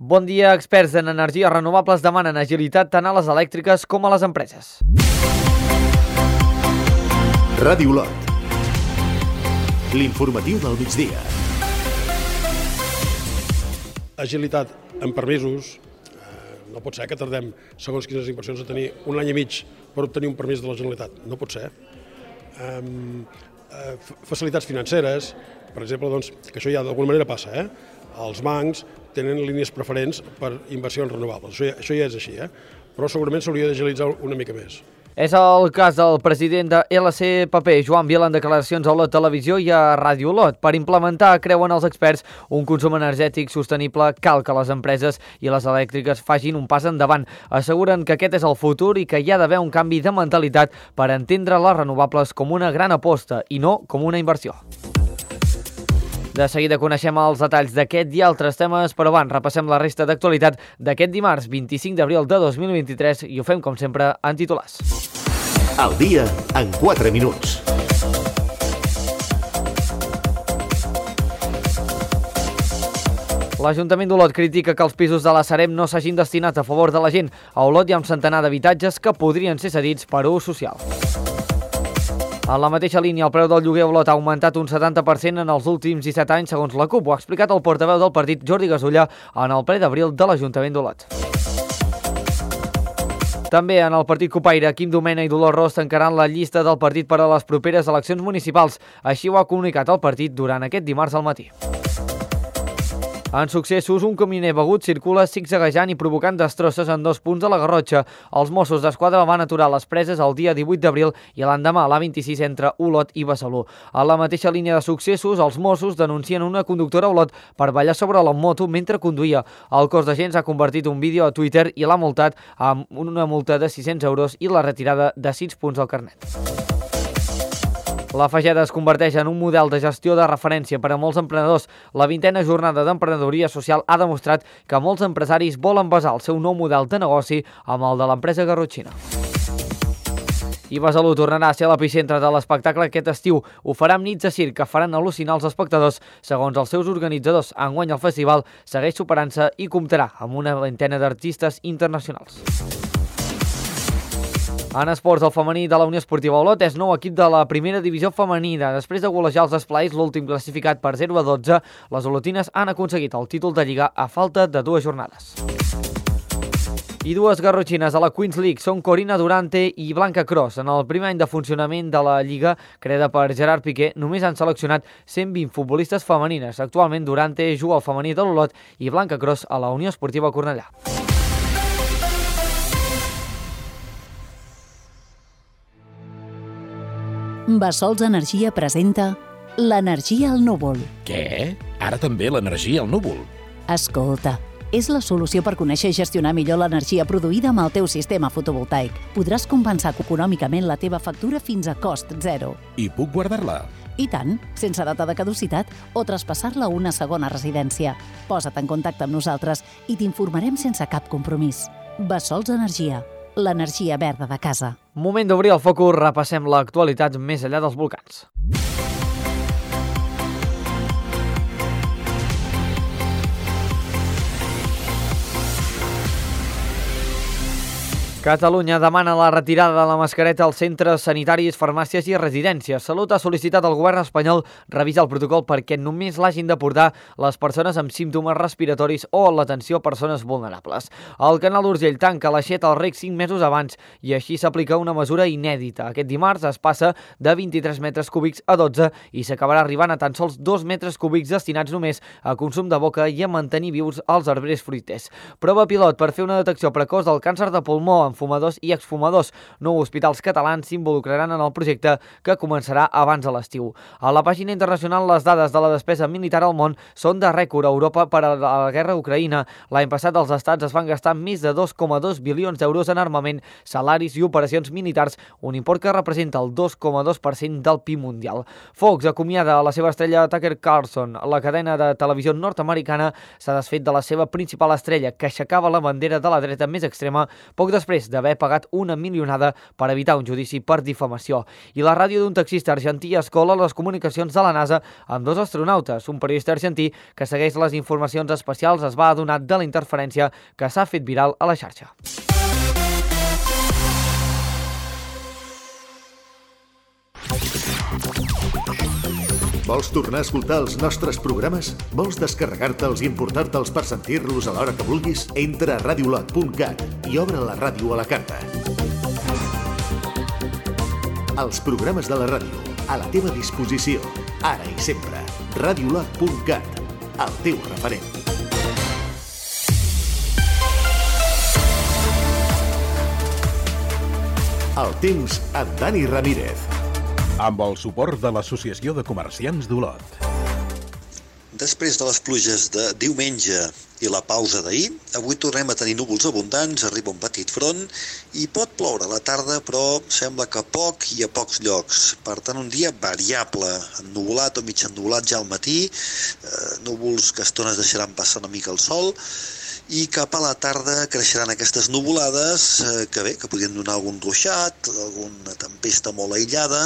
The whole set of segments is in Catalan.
Bon dia, experts en energies renovables demanen agilitat tant a les elèctriques com a les empreses. Ràdio Olot. L'informatiu del migdia. Agilitat en permisos. No pot ser que tardem, segons quines inversions, a tenir un any i mig per obtenir un permís de la Generalitat. No pot ser. Facilitats financeres, per exemple, doncs, que això ja d'alguna manera passa, Els bancs tenen línies preferents per inversions renovables. Això ja és així, però segurament s'hauria d'agilitzar una mica més. És el cas del president de LCPP, Joan Biel, en declaracions a Olot Televisió i a Ràdio Olot. Per implementar, creuen els experts, un consum energètic sostenible cal que les empreses i les elèctriques facin un pas endavant. Asseguren que aquest és el futur i que hi ha d'haver un canvi de mentalitat per entendre les renovables com una gran aposta i no com una inversió. De seguida coneixem els detalls d'aquest i altres temes, però abans repassem la resta d'actualitat d'aquest dimarts 25 d'abril de 2023 i ho fem, com sempre, en titulars. El dia en 4 minuts. L'Ajuntament d'Olot critica que els pisos de la Sareb no s'hagin destinat a favor de la gent. A Olot hi ha un centenar d'habitatges que podrien ser cedits per ús social. En la mateixa línia, el preu del lloguer a Olot ha augmentat un 70% en els últims 17 anys, segons la CUP. Ho ha explicat el portaveu del partit, Jordi Gasulla, en el ple d'abril de l'Ajuntament d'Olot. També en el partit copaire, Quim Domena i Dolors Ros tancaran la llista del partit per a les properes eleccions municipals. Així ho ha comunicat el partit durant aquest dimarts al matí. En successos, un camioner begut circula zigzaguejant i provocant destrosses en 2 punts de la Garrotxa. Els Mossos d'Esquadra van aturar les preses el dia 18 d'abril i l'endemà a l'A26 entre Olot i Besalú. A la mateixa línia de successos, els Mossos denuncien una conductora a Olot per ballar sobre la moto mentre conduïa. El cos d'agents ha convertit un vídeo a Twitter i l'ha multat amb una multa de 600 euros i la retirada de 6 punts al carnet. La Fageda es converteix en un model de gestió de referència per a molts emprenedors. La 20a jornada d'emprenedoria social ha demostrat que molts empresaris volen basar el seu nou model de negoci amb el de l'empresa garrotxina. I Besalú tornarà a ser l'epicentre de l'espectacle aquest estiu. Ho farà amb nits de circ que faran al·lucinar els espectadors. Segons els seus organitzadors, enguany el festival segueix superant-se i comptarà amb una 20a d'artistes internacionals. En esports, el femení de la Unió Esportiva Olot és nou equip de la primera divisió femenina. Després de golejar els Esplais, l'últim classificat per 0-12, les olotines han aconseguit el títol de Lliga a falta de 2 jornades. I 2 garrotxines a la Queens League són Corina Durante i Blanca Cross. En el primer any de funcionament de la Lliga, creada per Gerard Piqué, només han seleccionat 120 futbolistes femenines. Actualment, Durante juga al femení de l'Olot i Blanca Cross a la Unió Esportiva Cornellà. Bassols Energia presenta l'energia al núvol. Què? Ara també l'energia al núvol? Escolta, és la solució per conèixer i gestionar millor l'energia produïda amb el teu sistema fotovoltaic. Podràs compensar econòmicament la teva factura fins a cost zero. I puc guardar-la? I tant, sense data de caducitat o traspassar-la a una segona residència. Posa't en contacte amb nosaltres i t'informarem sense cap compromís. Bassols Energia, l'energia verda de casa. Moment d'obrir el focus, repassem l'actualitat més enllà dels volcans. Catalunya demana la retirada de la mascareta als centres sanitaris, farmàcies i residències. Salut ha sol·licitat al govern espanyol revisar el protocol perquè només l'hagin de portar les persones amb símptomes respiratoris o l'atenció a persones vulnerables. El canal d'Urgell tanca l'aixeta al rec 5 mesos abans i així s'aplica una mesura inèdita. Aquest dimarts es passa de 23 metres cúbics a 12 i s'acabarà arribant a tan sols 2 metres cúbics destinats només a consum de boca i a mantenir vius els arbres fruiters. Prova pilot per fer una detecció precoç del càncer de pulmó en fumadors i exfumadors. 9 hospitals catalans s'involucraran en el projecte que començarà abans de l'estiu. A la pàgina internacional, les dades de la despesa militar al món són de rècord a Europa per a la guerra a Ucraïna. L'any passat els estats es van gastar més de 2,2 bilions d'euros en armament, salaris i operacions militars, un import que representa el 2,2% del PIB mundial. Fox acomiada a la seva estrella Tucker Carlson. La cadena de televisió nord-americana s'ha desfet de la seva principal estrella, que aixecava la bandera de la dreta més extrema poc després després d'haver pagat una milionada per evitar un judici per difamació. I la ràdio d'un taxista argentí escola les comunicacions de la NASA amb 2 astronautes. Un periodista argentí que segueix les informacions especials es va adonar de la interferència que s'ha fet viral a la xarxa. Vols tornar a escoltar els nostres programes? Vols descarregar-te'ls i emportar-te'ls per sentir-los a l'hora que vulguis? Entra a radiolot.cat i obre la ràdio a la carta. Els programes de la ràdio, a la teva disposició, ara i sempre. Radiolot.cat, el teu referent. El temps amb Dani Ramírez. Amb el suport de l'Associació de Comerciants d'Olot. Després de les pluges de diumenge i la pausa d'ahir, avui tornem a tenir núvols abundants, arriba un petit front i pot ploure a la tarda, però sembla que poc i a pocs llocs. Per tant, un dia variable, ennuvolat o mig ennuvolat ja al matí, núvols que a estones deixaran passar una mica el sol, i cap a la tarda creixeran aquestes nuvolades que podrien donar algun ruixat, alguna tempesta molt aïllada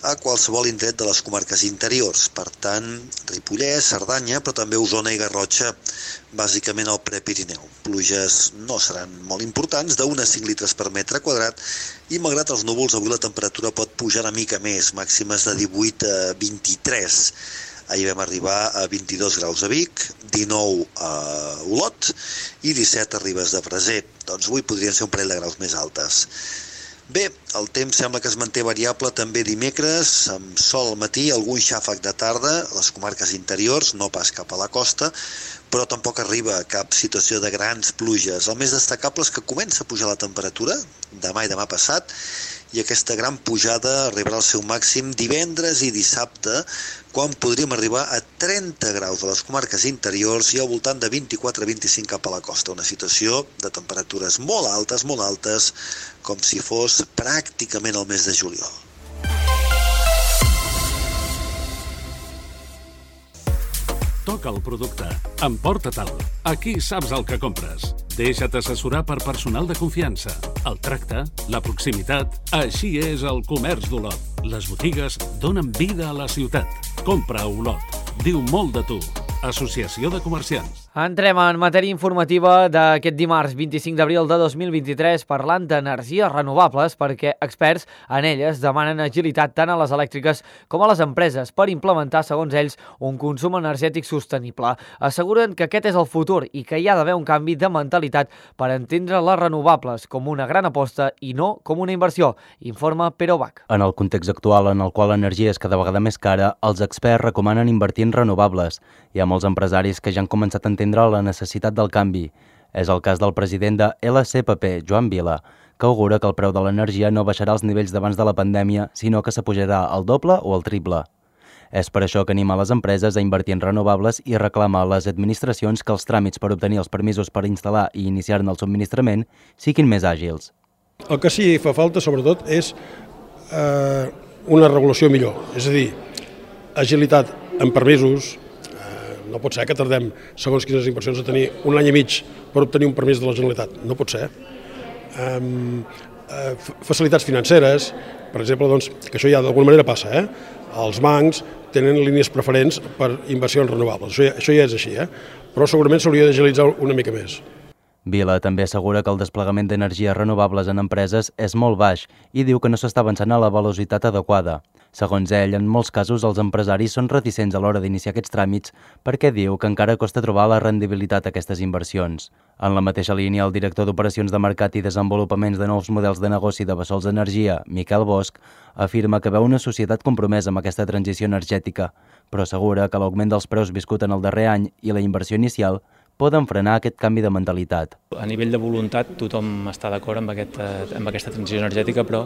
a qualsevol indret de les comarques interiors. Per tant, Ripollès, Cerdanya, però també Osona i Garrotxa, bàsicament al Prepirineu. Pluges no seran molt importants, d'1 a 5 litres per metre quadrat, i malgrat els núvols, avui la temperatura pot pujar una mica més, màximes de 18 a 23. Ahir vam arribar a 22 graus a Vic, 19 a Olot i 17 a Ribes de Freser. Doncs avui podrien ser un parell de graus més altes. Bé, el temps sembla que es manté variable també dimecres, amb sol al matí, algun xàfec de tarda, a les comarques interiors, no pas cap a la costa, però tampoc arriba a cap situació de grans pluges. El més destacable és que comença a pujar la temperatura, demà i demà passat, i aquesta gran pujada arribarà al seu màxim divendres i dissabte, quan podríem arribar a 30 graus a les comarques interiors i al voltant de 24 a 25 cap a la costa. Una situació de temperatures molt altes, com si fos pràcticament el mes de juliol. Toca el producte. Emporta-te'l. Aquí saps el que compres. Deixa't assessorar per personal de confiança. El tracte, la proximitat... Així és el comerç d'Olot. Les botigues donen vida a la ciutat. Compra a Olot. Diu molt de tu. Associació de Comerciants. Entrem en matèria informativa d'aquest dimarts 25 d'abril de 2023 parlant d'energies renovables perquè experts en elles demanen agilitat tant a les elèctriques com a les empreses per implementar, segons ells, un consum energètic sostenible. Asseguren que aquest és el futur i que hi ha d'haver un canvi de mentalitat per entendre les renovables com una gran aposta i no com una inversió, informa Pere Bach. En el context actual en el qual l'energia és cada vegada més cara, els experts recomanen invertir en renovables. Hi ha molts empresaris que ja han començat a entendre la necessitat del canvi. És el cas del president de LCPP, Joan Vila, que augura que el preu de l'energia no baixarà als nivells d'abans de la pandèmia, sinó que s'apujarà al doble o al triple. És per això que anima les empreses a invertir en renovables i reclama a les administracions que els tràmits per obtenir els permisos per instal·lar i iniciar-ne el subministrament siguin més àgils. El que sí fa falta, sobretot, és una regulació millor. És a dir, agilitat en permisos. No pot ser que tardem, segons quines inversions, a tenir un any i mig per obtenir un permís de la Generalitat. No pot ser. Facilitats financeres, per exemple, doncs, que això ja d'alguna manera passa. Els bancs tenen línies preferents per inversions renovables. Això ja és així, però segurament s'hauria d'agilitzar una mica més. Vila també assegura que el desplegament d'energies renovables en empreses és molt baix i diu que no s'està avançant a la velocitat adequada. Segons ell, en molts casos els empresaris són reticents a l'hora d'iniciar aquests tràmits perquè diu que encara costa trobar la rendibilitat a aquestes inversions. En la mateixa línia, el director d'Operacions de Mercat i Desenvolupaments de Nous Models de Negoci de Bessols Energia, Miquel Bosch, afirma que veu una societat compromesa amb aquesta transició energètica, però assegura que l'augment dels preus viscut en el darrer any i la inversió inicial poden frenar aquest canvi de mentalitat. A nivell de voluntat tothom està d'acord amb aquesta transició energètica, però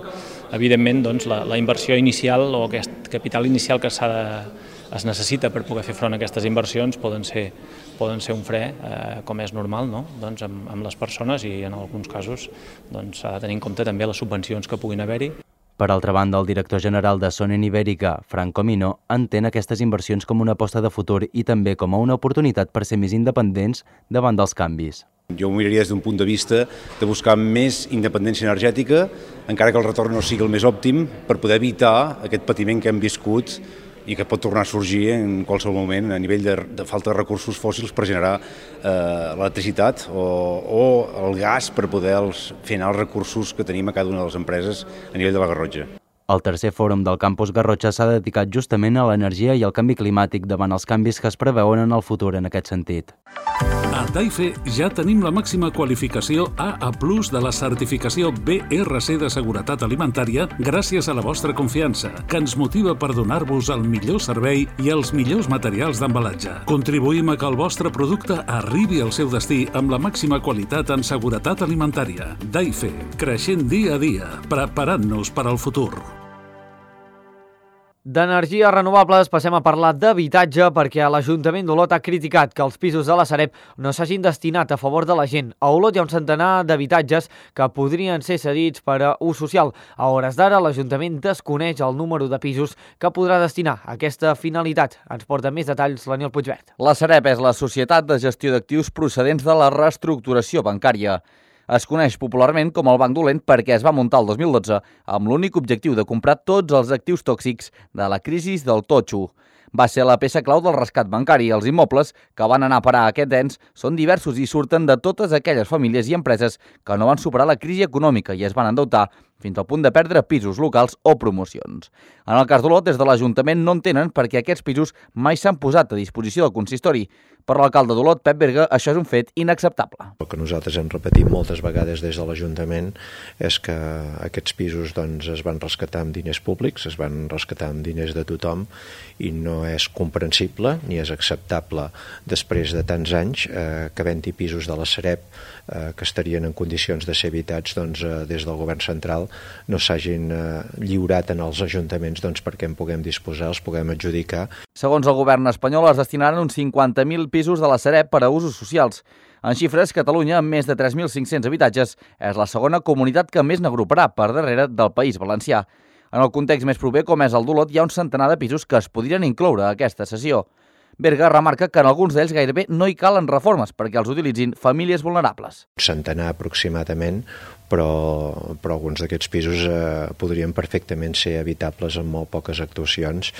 evidentment doncs, la inversió inicial o aquest capital inicial que es necessita per poder fer front a aquestes inversions poden ser un fre, com és normal, no? Doncs, amb les persones i en alguns casos s'ha de tenir en compte també les subvencions que puguin haver-hi. Per altra banda, el director general de Sonen Ibèrica, Franco Mino, entén aquestes inversions com una aposta de futur i també com a una oportunitat per ser més independents davant dels canvis. Jo ho miraria des d'un punt de vista de buscar més independència energètica, encara que el retorn no sigui el més òptim, per poder evitar aquest patiment que hem viscut i que pot tornar a sorgir en qualsevol moment a nivell de falta de recursos fòssils per generar l'electricitat o el gas per poder fer anar els recursos que tenim a cada una de les empreses a nivell de la Garrotxa. El tercer fòrum del campus Garrotxa s'ha dedicat justament a l'energia i al canvi climàtic davant els canvis que es preveuen en el futur en aquest sentit. A Taife ja tenim la màxima qualificació AA+ de la certificació BRC de seguretat alimentària gràcies a la vostra confiança, que ens motiva per donar-vos el millor servei i els millors materials d'embalatge. Contribuïm a que el vostre producte arribi al seu destí amb la màxima qualitat en seguretat alimentària. Taife, creixent dia a dia, preparant-nos per al futur. D'energies renovables passem a parlar d'habitatge perquè l'Ajuntament d'Olot ha criticat que els pisos de la Sareb no s'hagin destinat a favor de la gent. A Olot hi ha un centenar d'habitatges que podrien ser cedits per a ús social. A hores d'ara, l'Ajuntament desconeix el número de pisos que podrà destinar a aquesta finalitat. Ens porta més detalls l'Aniol Puigverd. La Sareb és la societat de gestió d'actius procedents de la reestructuració bancària. Es coneix popularment com el Banc Dolent perquè es va muntar el 2012 amb l'únic objectiu de comprar tots els actius tòxics de la crisi del totxo. Va ser la peça clau del rescat bancari. Els immobles que van anar a parar a aquests ens són diversos i surten de totes aquelles famílies i empreses que no van superar la crisi econòmica i es van endeutar fins al punt de perdre pisos locals o promocions. En el cas d'Olot, des de l'Ajuntament no en tenen perquè aquests pisos mai s'han posat a disposició del consistori. Per l'alcalde d'Olot, Pep Berga, això és un fet inacceptable. El que nosaltres hem repetit moltes vegades des de l'Ajuntament és que aquests pisos es van rescatar amb diners públics, es van rescatar amb diners de tothom i no és comprensible ni és acceptable després de tants anys que havent-hi pisos de la Sareb que estarien en condicions de ser habitats des del govern central no s'hagin lliurat en els ajuntaments perquè en puguem disposar, els puguem adjudicar. Segons el govern espanyol, es destinaran uns 50.000 pisos de la Sareb per a usos socials. En xifres, Catalunya, amb més de 3.500 habitatges, és la segona comunitat que més n'agruparà per darrere del País Valencià. En el context més proper, com és el d'Olot, hi ha un centenar de pisos que es podrien incloure a aquesta cessió. Berga remarca que en alguns d'ells gairebé no hi calen reformes perquè els utilitzin famílies vulnerables. Centenar aproximadament, però alguns d'aquests pisos podrien perfectament ser habitables amb molt poques actuacions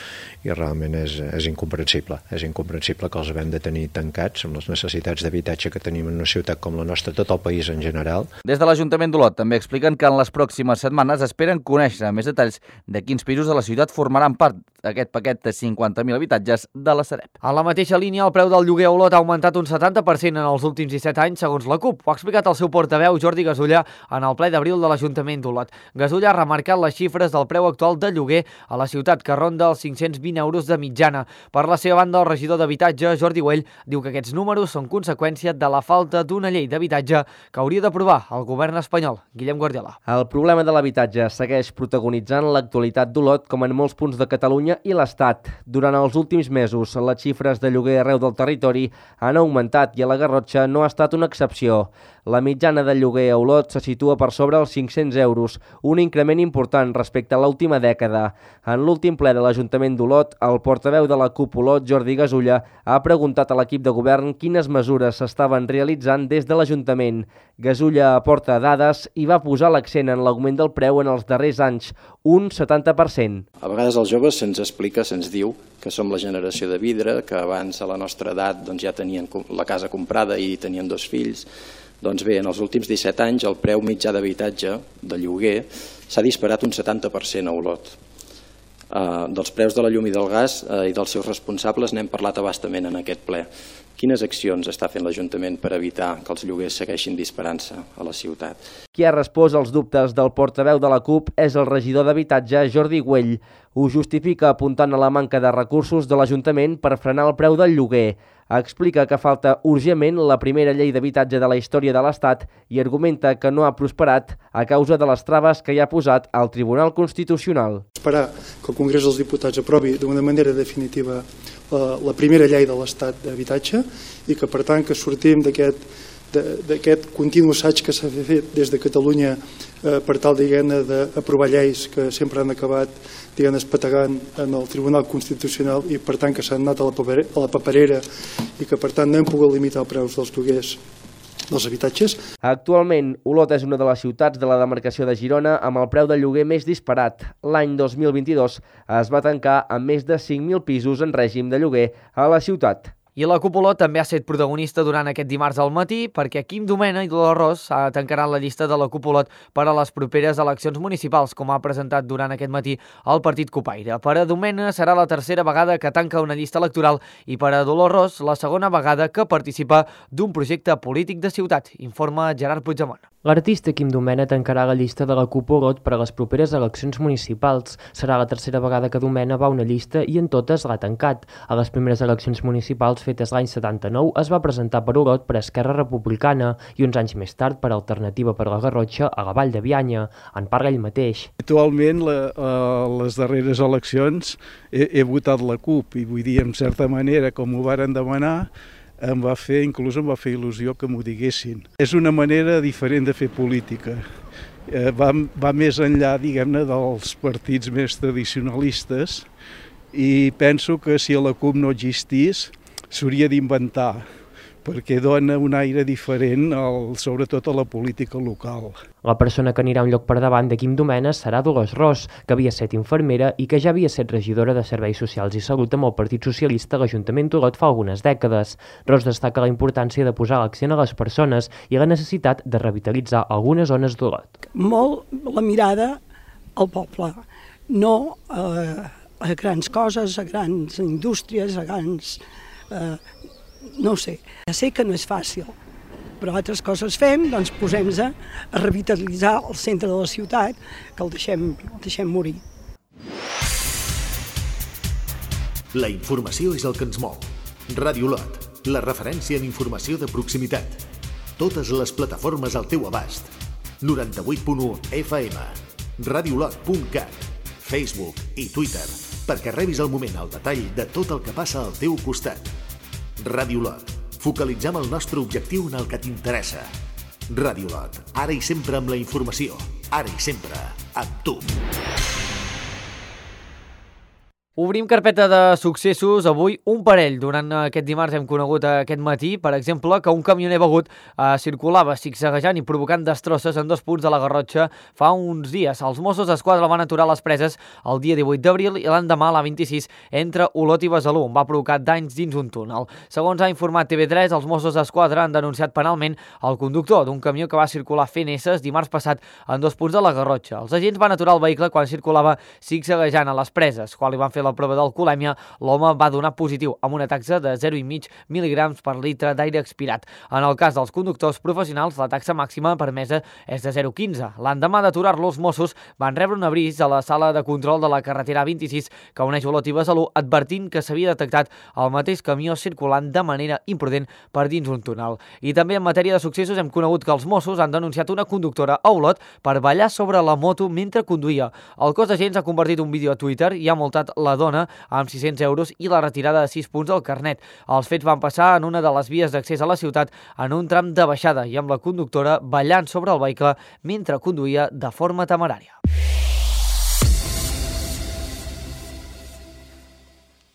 i realment és incomprensible. És incomprensible que els haguem de tenir tancats amb les necessitats d'habitatge que tenim en una ciutat com la nostra, tot el país en general. Des de l'Ajuntament d'Olot també expliquen que en les pròximes setmanes esperen conèixer més detalls de quins pisos de la ciutat formaran part d'aquest paquet de 50.000 habitatges de la Sareb. A la mateixa línia, el preu del lloguer a Olot ha augmentat un 70% en els últims 17 anys, segons la CUP. Ho ha explicat el seu portaveu, Jordi Gasulla, en el ple d'abril de l'Ajuntament d'Olot. Gasulla ha remarcat les xifres del preu actual de lloguer a la ciutat, que ronda els 520 euros de mitjana. Per la seva banda, el regidor d'Habitatge, Jordi Güell, diu que aquests números són conseqüència de la falta d'una llei d'habitatge que hauria d'aprovar el govern espanyol. Guillem Guardiola. El problema de l'habitatge segueix protagonitzant l'actualitat d'Olot, com en molts punts de Catalunya i l'Estat. Durant els últims mesos, les xifres de lloguer arreu del territori han augmentat i a la Garrotxa no ha estat una excepció. La mitjana de lloguer a Olot se situa per sobre els 500 euros, un increment important respecte a l'última dècada. En l'últim ple de l'Ajuntament d'Olot, el portaveu de la CUP Olot, Jordi Gasulla, ha preguntat a l'equip de govern quines mesures s'estaven realitzant des de l'Ajuntament. Gasulla aporta dades i va posar l'accent en l'augment del preu en els darrers anys, un 70%. A vegades els joves se'ns explica, se'ns diu que som la generació de vidre, que abans a la nostra edat ja tenien la casa comprada i tenien 2 fills. Doncs bé, en els últims 17 anys el preu mitjà d'habitatge, de lloguer, s'ha disparat un 70% a Olot. Dels preus de la llum i del gas i dels seus responsables n'hem parlat a bastament en aquest ple. Quines accions està fent l'Ajuntament per evitar que els lloguers segueixin disparant-se a la ciutat? Qui ha respost als dubtes del portaveu de la CUP és el regidor d'Habitatge, Jordi Güell. Ho justifica apuntant a la manca de recursos de l'Ajuntament per frenar el preu del lloguer. Explica que falta urgentment la primera llei d'habitatge de la història de l'Estat i argumenta que no ha prosperat a causa de les traves que hi ha posat al Tribunal Constitucional. Esperar que el Congrés dels Diputats aprovi d'una manera definitiva la primera llei de l'Estat d'habitatge i que per tant que sortim d'aquest continu assaig que s'ha fet des de Catalunya per tal d'aprovar lleis que sempre han acabat espategant en el Tribunal Constitucional i per tant que s'han anat a la paperera i que per tant no hem pogut limitar els preus dels lloguers dels habitatges. Actualment, Olot és una de les ciutats de la demarcació de Girona amb el preu del lloguer més disparat. L'any 2022 es va tancar amb més de 5.000 pisos en règim de lloguer a la ciutat. I la CUP Olot també ha estat protagonista durant aquest dimarts al matí perquè Quim Domènech i Dolors Ros tancaran la llista de la CUP Olot per a les properes eleccions municipals, com ha presentat durant aquest matí el partit Cupaire. Per a Domènech serà la tercera vegada que tanca una llista electoral i per a Dolors Ros la segona vegada que participa d'un projecte polític de ciutat, informa Gerard Puigdemont. L'artista Quim Domènech tancarà la llista de la CUP Olot per a les properes eleccions municipals. Serà la tercera vegada que Domènech va a una llista i en totes l'ha tancat. A les primeres eleccions municipals fetes l'any 79 es va presentar per Olot per Esquerra Republicana i uns anys més tard per Alternativa per la Garrotxa a la Vall de Bianya. En parla ell mateix. Actualment, les darreres eleccions he votat la CUP i vull dir, en certa manera, com ho varen demanar, em va fer il·lusió que m'ho diguessin. És una manera diferent de fer política. Va més enllà, diguem-ne, dels partits més tradicionalistes i penso que si la CUP no existís s'hauria d'inventar perquè dona un aire diferent, sobretot a la política local. La persona que anirà un lloc per davant de Quim Domènech serà Dolors Ros, que havia estat infermera i que ja havia estat regidora de Serveis Socials i Salut amb el Partit Socialista a l'Ajuntament d'Olot fa algunes dècades. Ros destaca la importància de posar l'accent a les persones i la necessitat de revitalitzar algunes zones d'Olot. Molt la mirada al poble, no a grans coses, a grans indústries, a grans... no ho sé. Ja sé que no és fàcil, però altres coses fem, doncs posem-nos a revitalitzar el centre de la ciutat, que el deixem morir. La informació és el que ens mou. Ràdio Olot, la referència en informació de proximitat. Totes les plataformes al teu abast. 98.1 FM, radioolot.cat, Facebook i Twitter, perquè rebis al moment el detall de tot el que passa al teu costat. Ràdio Olot. Focalitzem el nostre objectiu en el que t'interessa. Ràdio Olot. Ara i sempre amb la informació. Ara i sempre amb tu. Obrim carpeta de successos. Avui un parell. Durant aquest dimarts hem conegut aquest matí, per exemple, que un camioner begut circulava zigzaguejant i provocant destrosses en 2 punts de la Garrotxa fa uns dies. Els Mossos d'Esquadra van aturar les preses el dia 18 d'abril i l'endemà a la 26 entre Olot i Besalú, on va provocar danys dins un túnel. Segons ha informat TV3, els Mossos d'Esquadra han denunciat penalment el conductor d'un camió que va circular fent esses dimarts passat en 2 punts de la Garrotxa. Els agents van aturar el vehicle quan circulava zigzaguejant a les preses. Quan li van fer la prova d'alcoholèmia, l'home va donar positiu amb una taxa de 0,5 mil·ligrams per litre d'aire expirat. En el cas dels conductors professionals, la taxa màxima permesa és de 0,15. L'endemà d'aturar-lo, els Mossos van rebre un avís a la sala de control de la carretera 26 que uneix Olot i Besalú, advertint que s'havia detectat el mateix camió circulant de manera imprudent per dins un túnel. I també en matèria de successos hem conegut que els Mossos han denunciat una conductora a Olot per ballar sobre la moto mentre conduïa. El cos d'agents ha compartit un vídeo a Twitter i ha multat la dona amb 600 euros i la retirada de 6 punts del carnet. Els fets van passar en una de les vies d'accés a la ciutat en un tram de baixada i amb la conductora ballant sobre el vehicle mentre conduïa de forma temerària.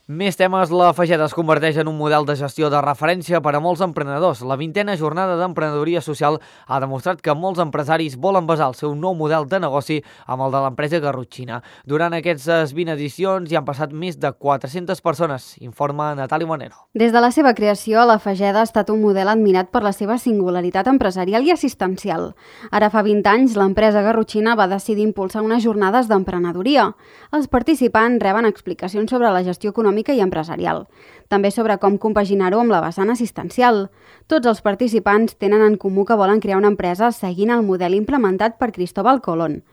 Més temes, la Fageda es converteix en un model de gestió de referència per a molts emprenedors. La 20a jornada d'emprenedoria social ha demostrat que molts empresaris volen basar el seu nou model de negoci amb el de l'empresa garrotxina. Durant aquestes 20 edicions hi han passat més de 400 persones, informa Natàlia Manero. Des de la seva creació, la Fageda ha estat un model admirat per la seva singularitat empresarial i assistencial. Ara fa 20 anys, l'empresa garrotxina va decidir impulsar unes jornades d'emprenedoria. Els participants reben explicacions sobre la gestió econòmica i empresarial, també sobre com compaginar-ho amb la vessant assistencial. Tots els participants tenen en comú que volen crear una empresa seguint el model implementat per Cristóbal Colón.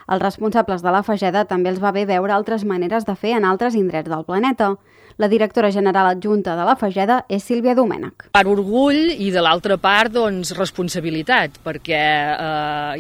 Els responsables de la Fageda també els va bé veure altres maneres de fer en altres indrets del planeta. La directora general adjunta de la Fageda és Sílvia Domènech. Per orgull i de l'altra part, doncs, responsabilitat, perquè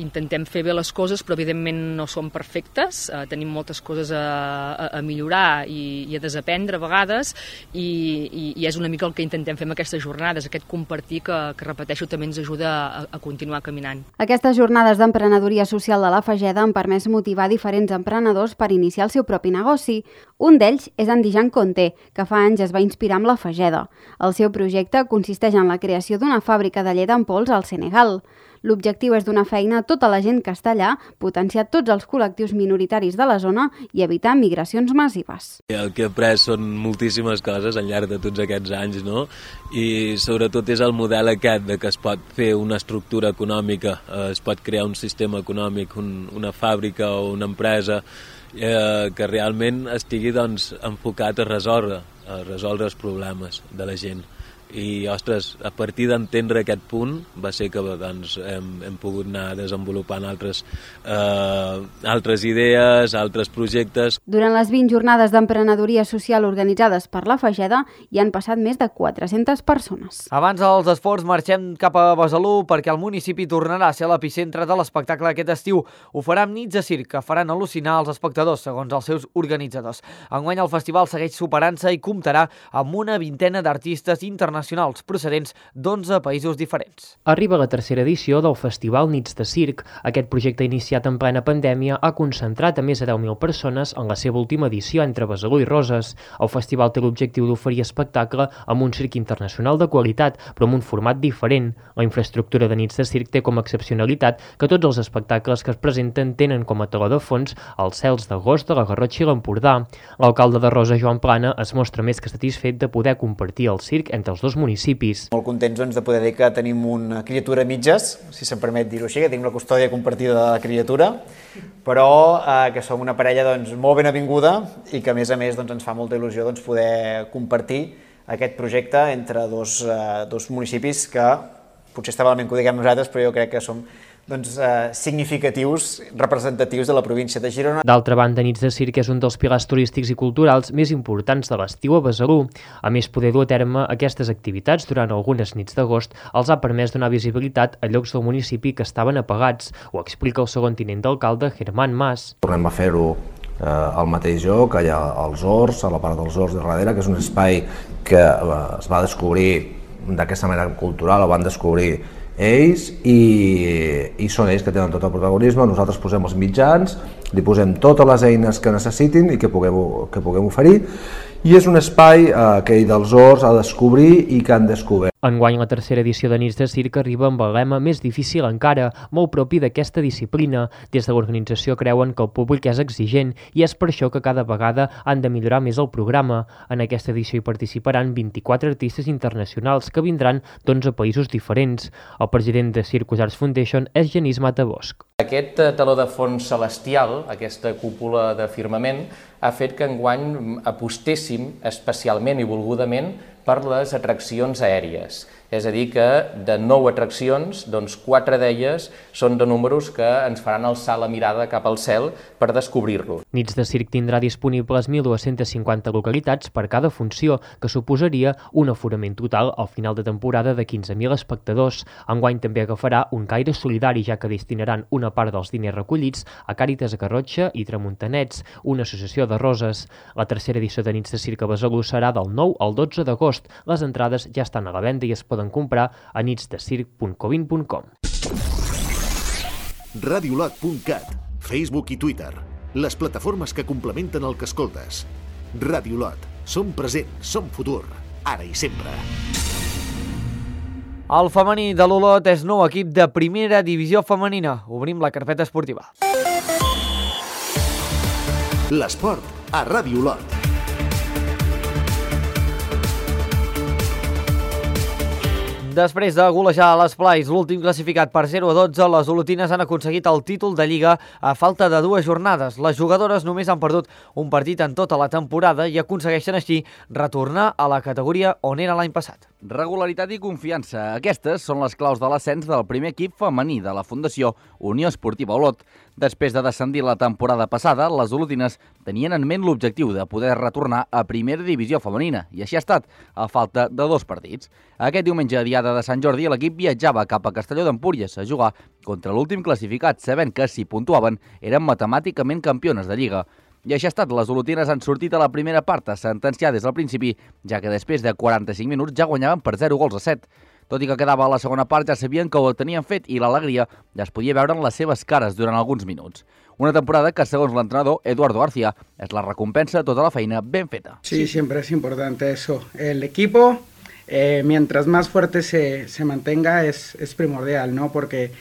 intentem fer bé les coses, però evidentment no som perfectes, tenim moltes coses a millorar i a desaprendre a vegades, i és una mica el que intentem fer amb aquestes jornades, aquest compartir que repeteixo, també ens ajuda a continuar caminant. Aquestes jornades d'emprenedoria social de la Fageda han permès motivar diferents emprenedors per iniciar el seu propi negoci. Un d'ells és en Dijan Conté, que fa anys es va inspirar amb la Fageda. El seu projecte consisteix en la creació d'una fàbrica de llet en pols al Senegal. L'objectiu és donar feina a tota la gent que està allà, potenciar tots els col·lectius minoritaris de la zona i evitar migracions massives. El que he après són moltíssimes coses al llarg de tots aquests anys, no? I sobretot és el model aquest de que es pot fer una estructura econòmica, es pot crear un sistema econòmic, una fàbrica o una empresa que realment estigui enfocat a resoldre els problemes de la gent. I, ostres, a partir d'entendre aquest punt va ser que hem pogut anar desenvolupant altres idees, altres projectes. Durant les 20 jornades d'emprenedoria social organitzades per la Fageda hi han passat més de 400 persones. Abans dels esports marxem cap a Besalú perquè el municipi tornarà a ser l'epicentre de l'espectacle aquest estiu. Ho farà amb nits de circ que faran al·lucinar els espectadors, segons els seus organitzadors. Enguany el festival segueix superant-se i comptarà amb una vintena d'artistes internacionals procedents d'11 països diferents. Arriba la tercera edició del Festival Nits de Circ. Aquest projecte iniciat en plena pandèmia ha concentrat a més de 10.000 persones en la seva última edició entre Besalú i Roses. El festival té l'objectiu d'oferir espectacle amb un circ internacional de qualitat, però amb un format diferent. La infraestructura de Nits de Circ té com a excepcionalitat que tots els espectacles que es presenten tenen com a teló de fons els cels d'agost de la Garrotxa i l'Empordà. L'alcalde de Roses, Joan Plana, es mostra més que satisfet de poder compartir el circ entre els dos municipis. Molt contents de poder dir que tenim una criatura a mitges, si se'm permet dir-ho així, que tenim la custòdia compartida de la criatura, però que som una parella molt ben avinguda i que a més ens fa molta il·lusió poder compartir aquest projecte entre dos municipis que potser està malament que ho diguem nosaltres, però jo crec que som significatius, representatius de la província de Girona. D'altra banda, Nits de Circ és un dels pilars turístics i culturals més importants de l'estiu a Besalú. A més, poder dur a terme aquestes activitats durant algunes nits d'agost els ha permès donar visibilitat a llocs del municipi que estaven apagats. Ho explica el segon tinent d'alcalde, Germán Mas. Tornem a fer-ho al mateix lloc, allà als Horts, a la part dels Horts de darrere, que és un espai que es va descobrir d'aquesta manera cultural, ho van descobrir ells i són ells que tenen tot el protagonisme. Nosaltres posem els mitjans, li posem totes les eines que necessitin i que puguem oferir, i és un espai que ells dels Horts ha de descobrir i que han descobert. Enguany, la tercera edició de Nits de Circ arriba amb el lema més difícil encara, molt propi d'aquesta disciplina. Des de l'organització creuen que el públic és exigent i és per això que cada vegada han de millorar més el programa. En aquesta edició hi participaran 24 artistes internacionals que vindran d'11 països diferents. El president de Circus Arts Foundation és Genís Matabosch. Aquest teló de fons celestial, aquesta cúpula de firmament, ha fet que enguany apostéssim especialment i volgudament per les atraccions aèries. És a dir, que de 9 atraccions, 4 d'elles són de números que ens faran alçar la mirada cap al cel per descobrir-lo. Nits de Circ tindrà disponibles 1.250 localitats per cada funció, que suposaria un aforament total al final de temporada de 15.000 espectadors. Enguany també agafarà un caire solidari, ja que destinaran una part dels diners recollits a Càritas Garrotxa i Tramuntanets, una associació de Roses. La tercera edició de Nits de Circ a Besalú serà del 9 al 12 d'agost. Les entrades ja estan a la venda i es poden comprar a nitsdecirc.covin.com. Radiolot.cat, Facebook i Twitter, les plataformes que complementen el que escoltes. Radiolot, som present, som futur, ara i sempre. El femení de l'Olot és nou equip de primera divisió femenina. Obrim la carpeta esportiva. L'esport a Radiolot. Després de golejar a l'Esplais, l'últim classificat per 0-12, les olotines han aconseguit el títol de Lliga a falta de 2 jornades. Les jugadores només han perdut un partit en tota la temporada i aconsegueixen així retornar a la categoria on era l'any passat. Regularitat i confiança. Aquestes són les claus de l'ascens del primer equip femení de la Fundació Unió Esportiva Olot. Després de descendir la temporada passada, les olotines tenien en ment l'objectiu de poder retornar a primera divisió femenina, i així ha estat, a falta de 2 partits. Aquest diumenge, diada de Sant Jordi, l'equip viatjava cap a Castelló d'Empúries a jugar contra l'últim classificat, sabent que, si puntuaven, eren matemàticament campiones de Lliga. I així ha estat, les olotines han sortit a la primera part sentenciar des del principi, ja que després de 45 minuts ja guanyaven per 0-7. Tot i que quedava a la segona part, ja sabien que ho tenien fet i l'alegria ja es podia veure en les seves cares durant alguns minuts. Una temporada que, segons l'entrenador Eduardo García, és la recompensa de tota la feina ben feta. Sí, siempre es importante eso. El equipo, mientras más fuerte se mantenga, es primordial, ¿no? Porque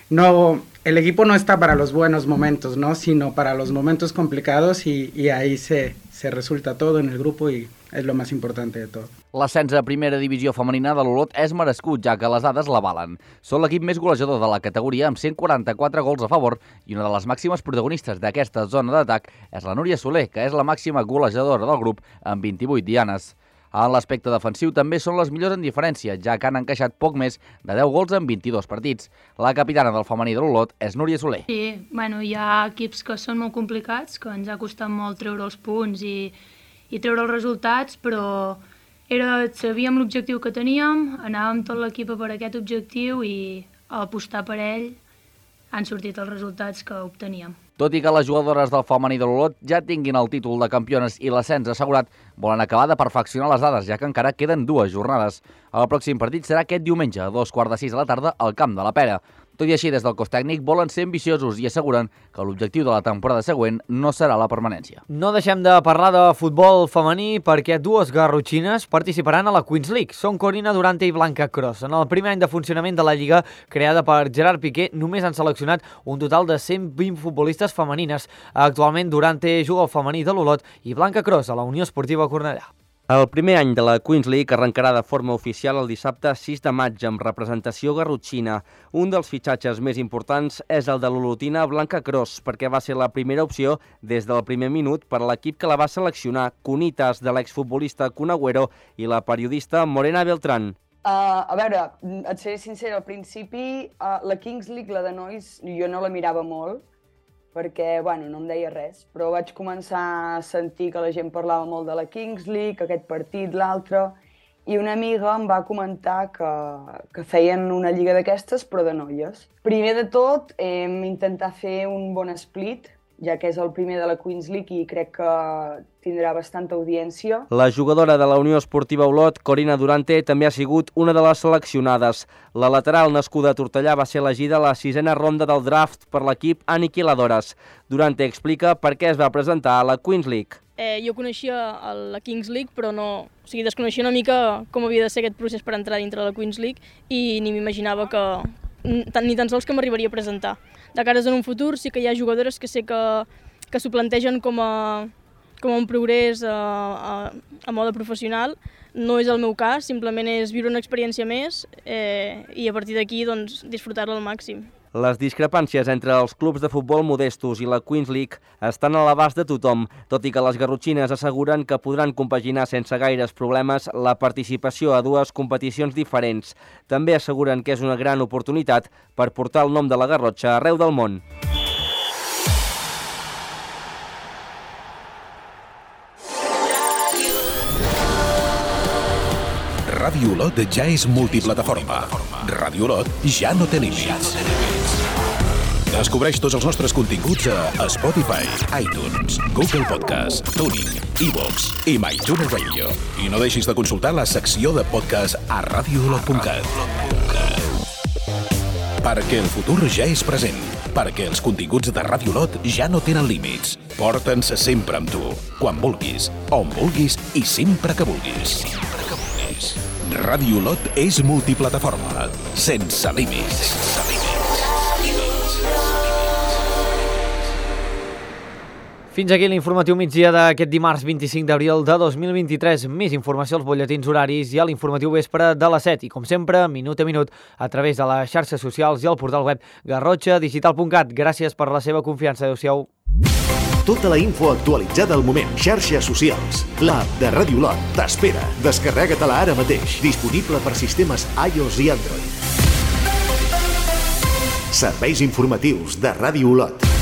el equipo no está para los buenos momentos, ¿no? Sino para los momentos complicados y ahí se resulta todo en el grupo y és lo més important de tot. L'ascens a primera divisió femenina de l'Olot és merescut, ja que les dades l'avalen. Són l'equip més golejador de la categoria amb 144 gols a favor i una de les màximes protagonistes d'aquesta zona d'atac és la Núria Soler, que és la màxima golejadora del grup amb 28 dianes. En l'aspecte defensiu també són les millors en diferència, ja que han encaixat poc més de 10 gols en 22 partits. La capitana del femení de l'Olot és Núria Soler. Sí, hi ha equips que són molt complicats, que ens ha costat molt treure els punts i treure els resultats, però sabíem l'objectiu que teníem, anàvem tot l'equip per aquest objectiu i a apostar per ell han sortit els resultats que obteníem. Tot i que les jugadores del femení de l'Olot ja tinguin el títol de campiones i l'ascens assegurat, volen acabar de perfeccionar les dades, ja que encara queden 2 jornades. El pròxim partit serà aquest diumenge, a 2:45 de la tarda, al Camp de la Pera. Tot i així, des del cos tècnic volen ser ambiciosos i asseguren que l'objectiu de la temporada següent no serà la permanència. No deixem de parlar de futbol femení perquè 2 garrotxines participaran a la Queens League. Són Corina Durante i Blanca Cross. En el primer any de funcionament de la Lliga, creada per Gerard Piqué, només han seleccionat un total de 120 futbolistes femenines. Actualment, Durante juga al femení de l'Olot i Blanca Cross a la Unió Esportiva Cornellà. El primer any de la Queens League arrencarà de forma oficial el dissabte 6 de maig amb representació garrotxina. Un dels fitxatges més importants és el de l'olotina Blanca Cross, perquè va ser la primera opció des del primer minut per a l'equip que la va seleccionar, Cunitas, de l'exfutbolista Kun Agüero i la periodista Morena Beltrán. A veure, et seré sincera, al principi la Kings League, la de nois, jo no la mirava molt, perquè no em deia res, però vaig començar a sentir que la gent parlava molt de la Kings League, aquest partit, l'altre, i una amiga em va comentar que feien una lliga d'aquestes, però de noies. Primer de tot, hem intentat fer un bon split, ja que és el primer de la Queens League i crec que tindrà bastanta audiència. La jugadora de la Unió Esportiva Olot, Corina Durante, també ha sigut una de les seleccionades. La lateral nascuda a Tortellà va ser elegida a la 6a ronda del draft per l'equip Aniquiladores. Durante explica per què es va presentar a la Queens League. Jo coneixia la Kings League, però desconeixia una mica com havia de ser aquest procés per entrar dintre de la Queens League i ni m'imaginava ni tan sols que m'arribaria a presentar. De cares en un futur sí que hi ha jugadores que sé que s'ho plantegen com a un progrés a mode professional. No és el meu cas, simplement és viure una experiència més i a partir d'aquí disfrutar-la al màxim. Les discrepàncies entre els clubs de futbol modestos i la Queens League estan a l'abast de tothom, tot i que les garrotxines asseguren que podran compaginar sense gaires problemes la participació a 2 competicions diferents. També asseguren que és una gran oportunitat per portar el nom de la Garrotxa arreu del món. Ràdio Olot ja és multiplataforma. Ràdio Olot ja no té límits. Descobreix tots els nostres continguts a Spotify, iTunes, Google Podcast, TuneIn, iVoox i MyTuner Radio. I no deixis de consultar la secció de podcast a radioolot.cat. Perquè el futur ja és present. Perquè els continguts de Ràdio Olot ja no tenen límits. Porta'ns sempre amb tu, quan vulguis, on vulguis i sempre que vulguis. Ràdio Olot és multiplataforma, sense límits. Fins aquí l'informatiu migdia d'aquest dimarts 25 d'abril de 2023. Més informació als butlletins horaris i a l'informatiu vespre de les 7. I com sempre, minut a minut, a través de les xarxes socials i el portal web garrotxadigital.cat. Gràcies per la seva confiança. Adéu-siau. Tota la info actualitzada al moment. Xarxes socials. L'app de Ràdio Olot t'espera. Descarrega-te-la ara mateix. Disponible per sistemes iOS i Android. Serveis informatius de Ràdio Olot.